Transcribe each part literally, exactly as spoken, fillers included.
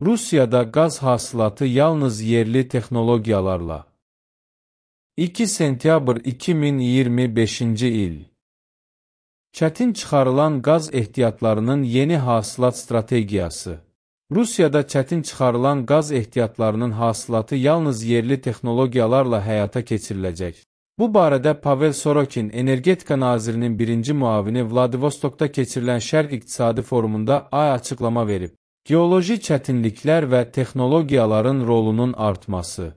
Rusiyada qaz hasilatı yalnız yerli texnologiyalarla. iki sentyabr iki min iyirmi beşinci il. Çətin çıxarılan qaz ehtiyatlarının yeni hasilat strategiyası. Rusiyada çətin çıxarılan qaz ehtiyatlarının hasilatı yalnız yerli texnologiyalarla həyata keçiriləcək. Bu barədə Pavel Sorokin, Energetika Nazirinin birinci müavini Vladivostokda keçirilən Şərq İqtisadi Forumunda ay açıqlama verib. Geoloji çətinliklər və texnologiyaların rolunun artması.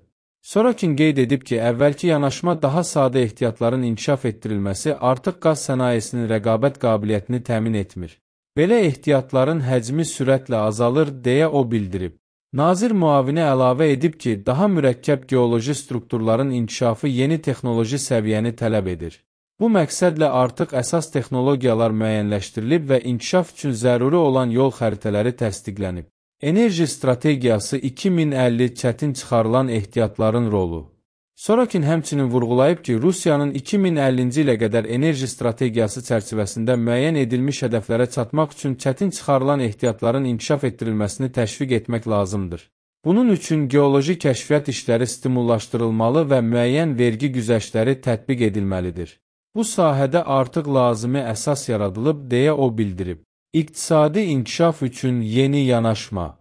Sorokin qeyd edib ki, əvvəlki yanaşma daha sadə ehtiyatların inkişaf etdirilməsi artıq qaz sənayesinin rəqabət qabiliyyətini təmin etmir. Belə ehtiyatların həcmi sürətlə azalır, deyə o bildirib. Nazir müavini əlavə edib ki, daha mürəkkəb geoloji strukturların inkişafı yeni texnoloji səviyyəni tələb edir. Bu məqsədlə artıq əsas texnologiyalar müəyyənləşdirilib və inkişaf üçün zəruri olan yol xəritələri təsdiqlənib. Enerji strategiyası iki min əlli çətin çıxarılan ehtiyatların rolu. Sorokin həmçinin vurğulayıb ki, Rusiyanın iki min əllinci ilə qədər enerji strategiyası çərçivəsində müəyyən edilmiş hədəflərə çatmaq üçün çətin çıxarılan ehtiyatların inkişaf etdirilməsini təşviq etmək lazımdır. Bunun üçün geoloji kəşfiyyat işləri stimullaşdırılmalı və müəyyən vergi güzəştləri tətbiq edilməlidir. Bu sahədə artıq lazımi əsas yaradılıb, deyə o bildirib. İqtisadi inkişaf üçün yeni yanaşma.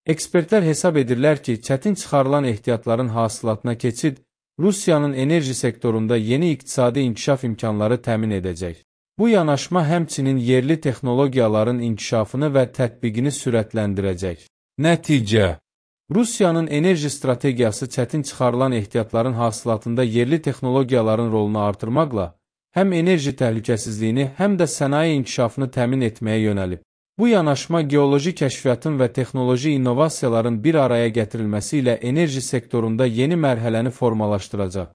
Ekspertlər hesab edirlər ki, çətin çıxarılan ehtiyatların hasilatına keçid Rusiyanın enerji sektorunda yeni iqtisadi inkişaf imkanları təmin edəcək. Bu yanaşma həmçinin yerli texnologiyaların inkişafını və tətbiqini sürətləndirəcək. Nəticə: Rusiyanın enerji strategiyası çətin çıxarılan ehtiyatların hasilatında yerli texnologiyaların rolunu artırmaqla həm enerji təhlükəsizliyini, həm də sənaye inkişafını təmin etməyə yönəlib. Bu yanaşma geoloji kəşfiyyatın və texnoloji innovasiyaların bir araya gətirilməsi ilə enerji sektorunda yeni mərhələni formalaşdıracaq.